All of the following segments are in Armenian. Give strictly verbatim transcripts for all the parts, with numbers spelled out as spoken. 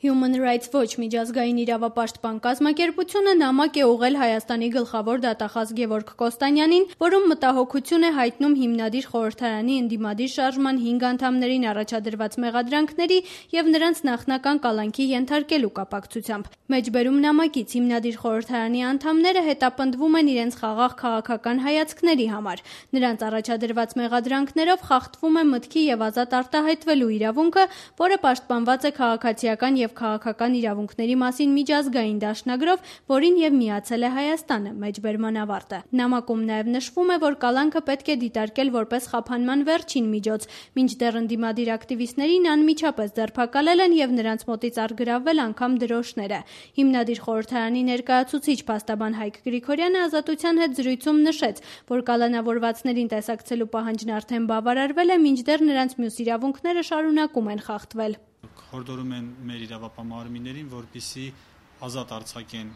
Human Rights Watch միջազգային իրավապաշտպան կազմակերպությունը նամակ է ուղղել Հայաստանի գլխավոր դատախազ Գևորգ Կոստանյանին, որում մտահոգություն է հայտնում հիմնադիր խորհրդարանի ընդդիմադիր շարժման հինգ անդամներին առաջադրված մեղադրանքների եւ նրանց նախնական կալանքի ենթարկելու կապակցությամբ։ Մեջբերում նամակից հիմնադիր խորհրդարանի անդամները հետապնդվում են իրենց խաղաղ քաղաքական հայացքների համար։ Նրանց առաջադրված մեղադրանքներով խախտվում է մտքի եւ ազատ արտահայտվելու իրավունքը, որը պաշտպանված է քաղաքացիական եւ քաղաքական իրավունքների մասին միջազգային դաշնագրով, որին եւ միացել է Հայաստանը, մեջբերման ավարտը։ Նամակում նաեւ նշվում է, որ կալանքը պետք է դիտարկել որպես խափանման վերջին միջոց, մինչդեռ ընդդիմադիր ակտիվիստներին անմիջապես ձերբակալել են եւ նրանց մոտից առգրավվել անգամ դրոշները։ Հիմնադիր խորհրդարանի ներկայացուցիչ փաստաբան Հայկ Գրիգորյանը Ազատության հետ զրույցում նշեց, որ կալանավորվածներին տեսակցելու պահանջն արդեն բավարարվել է, մինչդեռ նրանց մյուս իրավունքները շարունակում են խախտվել։ Հորդորում են մեր իրավապահ-մարմիններին, որպեսզի ազատ արձակեն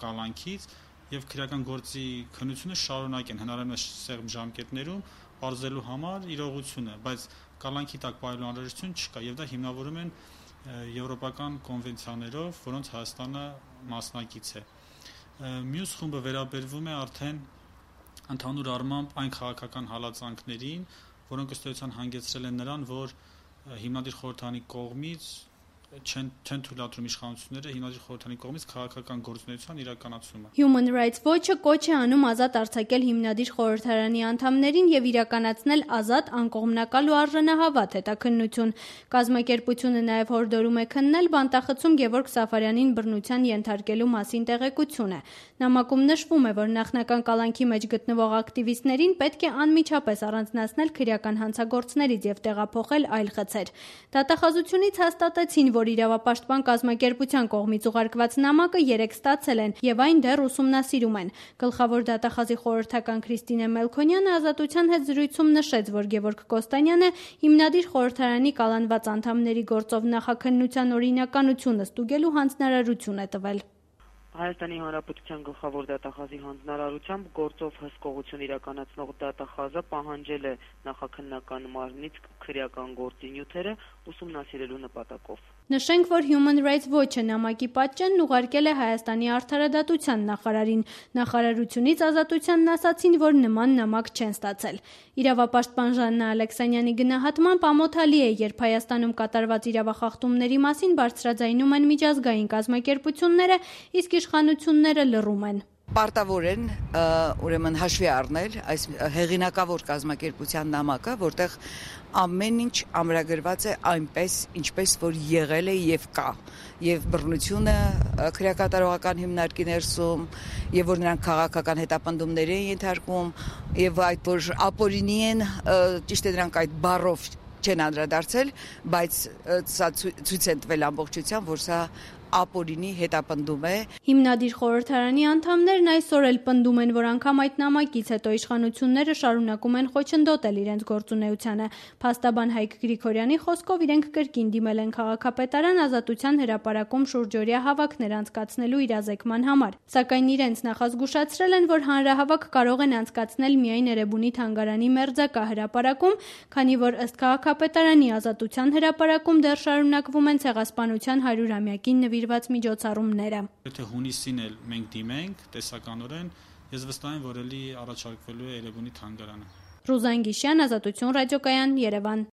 կալանքից եւ քրեական գործի քննությունը շարունակեն հնարավորինս սեղմ ժամկետներում բարձելու համար իրողությունը, բայց կալանքի տակ պահելու անհրաժեշտություն չկա եւ դա հիմնավորում են եվրոպական կոնվենցիաներով, որոնց Հայաստանը մասնակից է։ Մյուս խումբը վերաբերվում է արդեն ընդհանուր առմամբ այն քաղաքական հալածանքներին, որոնք ըստ էության հանգեցրել են նրան, որ հիմնադիր խորհրդարանի կողմից չեն չեն թույլատրում իշխանությունները հիմնադիր խորհրդարանի կողմից քաղաքական գործունեության իրականացումը։ Human Rights Watch-ը կոչ է անում ազատ արձակել հիմնադիր խորհրդարանի անդամներին եւ իրականացնել ազատ, անկողմնակալ ու արժանահավատ հետաքննություն։ Կազմակերպությունը նաեւ հորդորում է քննել բանտախցում Գևորգ Սաֆարյանին բռնության ենթարկելու մասին տեղեկությունը։ Նամակում նշվում է, որ նախնական կալանքի մեջ գտնվող ակտիվիստներին պետք է անմիջապես առանձնացնել քրեական հանցագործներից եւ տեղափոխել այլ խցեր։ Դատախազությունից հաստատեցին, որ իրավապաշտպան կազմակերպության կողմից ուղարկված նամակը երեկ ստացել են եւ այն դեռ ուսումնասիրում են։ Գլխավոր դատախազի խորհրդական Քրիստինե Մելքոնյանը Ազատության հետ զրույցում նշեց, որ Գևորգ Կոստանյանը հիմնադիր խորհրդարանի կալանված անդամների գործով նախաքննության օրինականությունը ստուգելու հանձնարարություն է տվել։ Հայաստանի Հանրապետության գլխավոր դատախազի հանձնարարությամբ գործով հսկողություն իրականացնող դատախազը պահանջել է նախաքննական մարմնից քրեական գործի նյութերը ուսումնասիրելու նպատակով։ Նշենք, որ Human Rights Watch-ը նամակի պատճենն ուղարկել է Հայաստանի արդարադատության նախարարին։ Նախարարությունից Ազատությանն ասացին, որ նման նամակ չեն ստացել։ Իրավապաշտպան Ժաննա Ալեքսանյանի գնահատմամբ ամոթալի է, երբ Հայաստանում կատարված իրավախախտումների մասին բարձրաձայնում են միջազգային կազմակերպությունները, իսկ իշխանությունները լռում են։ Պարտավոր են ուրեմն հաշվի առնել այս հեղինակավոր կազմակերպության նամակը, որտեղ ամեն ինչ ամրագրված է այնպես, ինչպես որ եղել է եւ կա, եւ բռնությունը քրեակատարողական հիմնարկի ներսում, եւ որ նրանք քաղաքական հետապնդումներ են ենթարկում, եւ այդ որ ապօրինի են, ճիշտ է դրանք այդ բառով չեն անդրադարձել, բայց սա ցույց են տվել ամբողջությամբ, որ սա ապօրինի հետապնդում է։ Հիմնադիր խորհրդարանի անդամներն այսօր էլ պնդում են, որ անգամ այդ նամակից հետո իշխանությունները շարունակում են խոչընդոտել իրենց գործունեությանը։ Փաստաբան Հայկ Գրիգորյանի խոսքով իրենք կրկին դիմել են քաղաքապետարան Ազատության հրապարակում շուրջօրյա հավաքներ անցկացնելու իրազեկման համար։ Սակայն իրենց նախազգուշացրել են, որ հանրահավաք կարող են անցկացնել միայն Էրեբունի թանգարանի մերձակա հրապարակում, քանի որ ըստ քաղաքապետարանի Ազատության հրապարակում դեռ շարունակվում են ցեղասպանության հարյուրամյակին նվիրված միջոցառումները։ Եթե հունիսին էլ մենք դիմենք տեսականորեն, ես վստահ եմ, որ էլի առաջարկվելու է Էրեբունի թանգարանը։ Ռուզան Գիշյան, Ազատություն ռադիոկայան, Երևան։